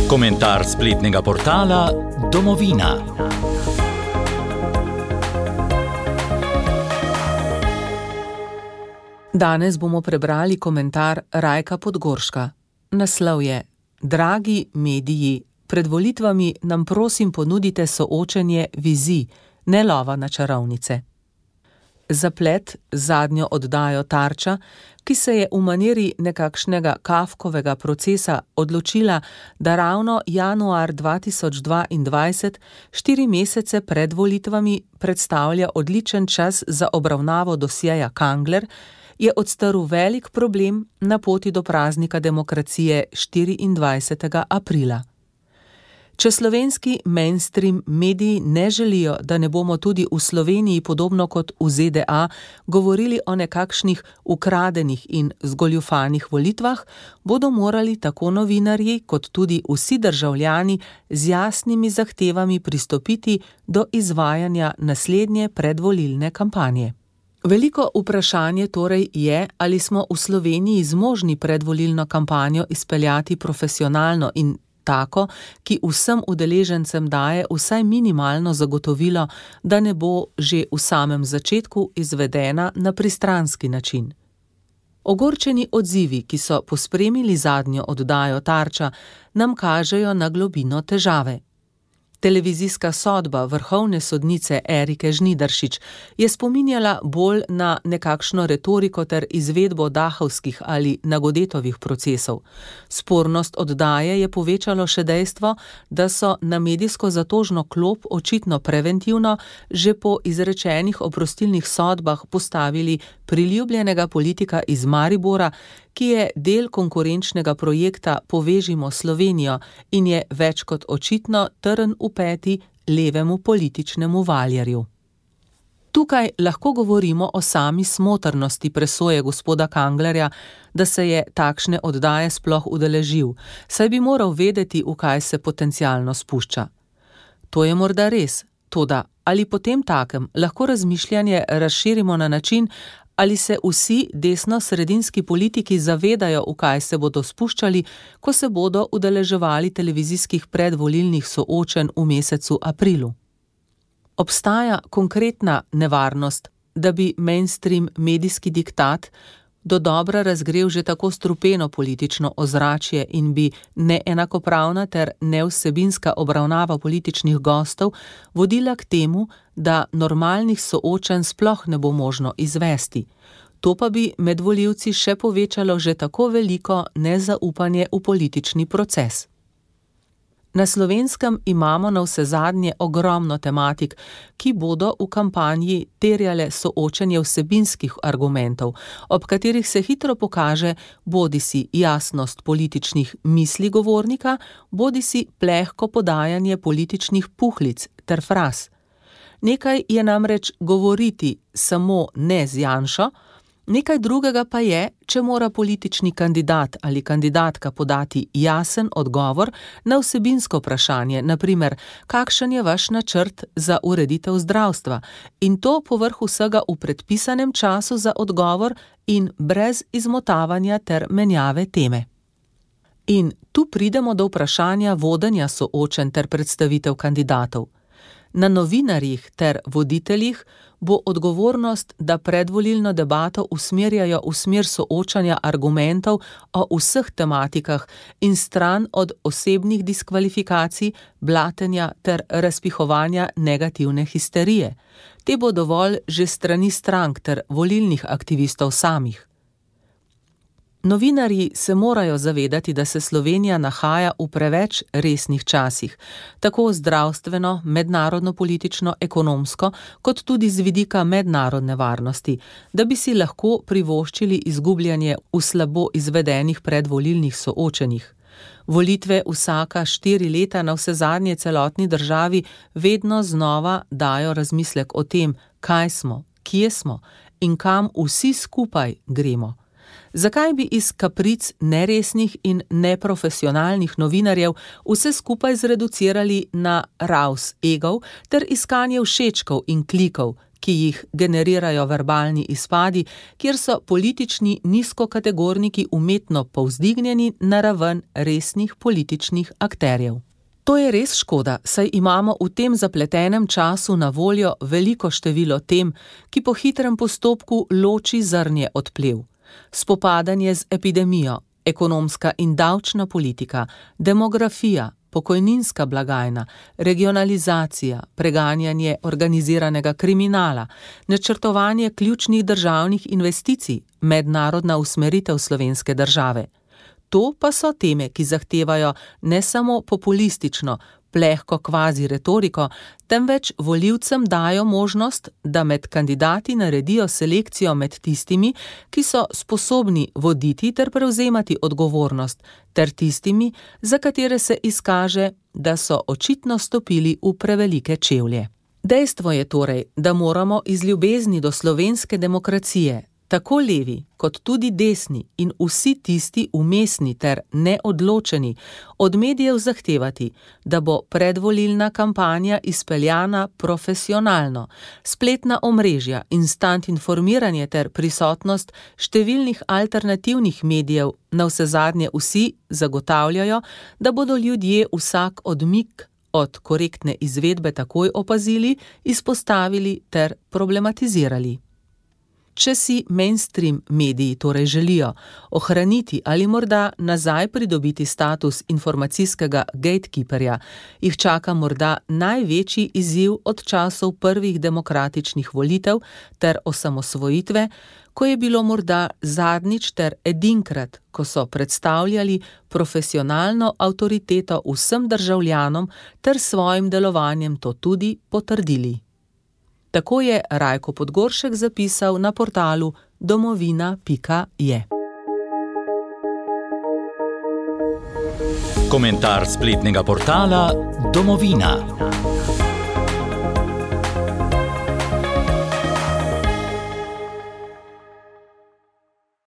Komentar spletnega portala Domovina. Danes bomo prebrali komentar Rajka Podgorška. Naslov je: Dragi mediji, pred volitvami nam prosim ponudite soočenje vizij, ne lova na čarovnice. Zaplet zadnjo oddajo Tarča, ki se je v maniri nekakšnega Kafkovega procesa odločila, da ravno januar 2022, 4 mesece pred volitvami, predstavlja odličen čas za obravnavo dosjeja Kangler, je odstrl velik problem na poti do praznika demokracije 24. aprila. Če slovenski mainstream mediji ne želijo, da ne bomo tudi v Sloveniji podobno kot v ZDA govorili o nekakšnih ukradenih in zgoljufanih volitvah, bodo morali tako novinarji kot tudi vsi državljani z jasnimi zahtevami pristopiti do izvajanja naslednje predvolilne kampanje. Veliko vprašanje torej je, ali smo v Sloveniji zmožni predvolilno kampanjo izpeljati profesionalno in tako, ki vsem udeležencem daje vsaj minimalno zagotovilo, da ne bo že v samem začetku izvedena na pristranski način. Ogorčeni odzivi, ki so pospremili zadnjo oddajo Tarča, nam kažejo na globino težave. Televizijska sodba vrhovne sodnice Erike Žnidaršič je spominjala bolj na nekakšno retoriko ter izvedbo dahovskih ali Nagodetovih procesov. Spornost oddaje je povečalo še dejstvo, da so na medijsko zatožno klop očitno preventivno že po izrečenih oprostilnih sodbah postavili priljubljenega politika iz Maribora, ki je del konkurenčnega projekta Povežimo Slovenijo in je več kot očitno trn v peti levemu političnemu valjarju. Tukaj lahko govorimo o sami smotrnosti presoje gospoda Kanglerja, da se je takšne oddaje sploh udeležil, saj bi moral vedeti, v kaj se potencialno spušča. To je morda res, toda ali potem takem lahko razmišljanje razširimo na način, ali se vsi desno-sredinski politiki zavedajo, v kaj se bodo spuščali, ko se bodo udeleževali televizijskih predvolilnih soočenj v mesecu aprilu. Obstaja konkretna nevarnost, da bi mainstream medijski diktat dodobra razgrel že tako strupeno politično ozračje in bi neenakopravna ter nevsebinska obravnava političnih gostov vodila k temu, da normalnih soočenj sploh ne bo možno izvesti. To pa bi med volivci še povečalo že tako veliko nezaupanje v politični proces. Na Slovenskem imamo navsezadnje ogromno tematik, ki bodo v kampanji terjale soočenje vsebinskih argumentov, ob katerih se hitro pokaže bodisi jasnost političnih misli govornika, bodisi plehko podajanje političnih puhlic ter fraz. Nekaj je namreč govoriti samo ne z Janšo, nekaj drugega pa je, če mora politični kandidat ali kandidatka podati jasen odgovor na vsebinsko vprašanje, na primer, kakšen je vaš načrt za ureditev zdravstva, in to povrh vsega v predpisanem času za odgovor in brez izmotavanja ter menjave teme. In tu pridemo do vprašanja vodenja soočenj ter predstavitev kandidatov. Na novinarjih ter voditeljih bo odgovornost, da predvolilno debato usmerjajo v smer soočanja argumentov o vseh tematikah in stran od osebnih diskvalifikacij, blatenja ter razpihovanja negativne histerije. Te bo dovolj že strani strank ter volilnih aktivistov samih. Novinarji se morajo zavedati, da se Slovenija nahaja v preveč resnih časih, tako zdravstveno, mednarodno politično, ekonomsko, kot tudi z vidika mednarodne varnosti, da bi si lahko privoščili izgubljanje v slabo izvedenih predvolilnih soočenjih. Volitve vsaka 4 leta navsezadnje celotni državi vedno znova dajo razmislek o tem, kaj smo, kje smo in kam vsi skupaj gremo. Zakaj bi iz kapric neresnih in neprofesionalnih novinarjev vse skupaj zreducirali na raus egov ter iskanje všečkov in klikov, ki jih generirajo verbalni izpadi, kjer so politični nizkokategorniki umetno povzdignjeni na raven resnih političnih akterjev. To je res škoda, saj imamo v tem zapletenem času na voljo veliko število tem, ki po hitrem postopku loči zrnje od plev. Spopadanje z epidemijo, ekonomska in davčna politika, demografija, pokojninska blagajna, regionalizacija, preganjanje organiziranega kriminala, načrtovanje ključnih državnih investicij, mednarodna usmeritev slovenske države. To pa so teme, ki zahtevajo ne samo populistično, plehko kvazi retoriko, temveč volivcem dajo možnost, da med kandidati naredijo selekcijo med tistimi, ki so sposobni voditi ter prevzemati odgovornost, ter tistimi, za katere se izkaže, da so očitno stopili v prevelike čevlje. Dejstvo je torej, da moramo iz ljubezni do slovenske demokracije, tako levi kot tudi desni in vsi tisti vmesni ter neodločeni, od medijev zahtevati, da bo predvolilna kampanja izpeljana profesionalno, spletna omrežja, instant informiranje ter prisotnost številnih alternativnih medijev, navsezadnje vsi zagotavljajo, da bodo ljudje vsak odmik od korektne izvedbe takoj opazili, izpostavili ter problematizirali. Če si mainstream mediji torej želijo ohraniti ali morda nazaj pridobiti status informacijskega gatekeeperja, jih čaka morda največji izziv od časov prvih demokratičnih volitev ter osamosvojitve, ko je bilo morda zadnjič ter edinkrat, ko so predstavljali profesionalno avtoriteto vsem državljanom ter svojim delovanjem to tudi potrdili. Tako je Rajko Podgoršek zapisal na portalu domovina.je. Komentar spletnega portala Domovina.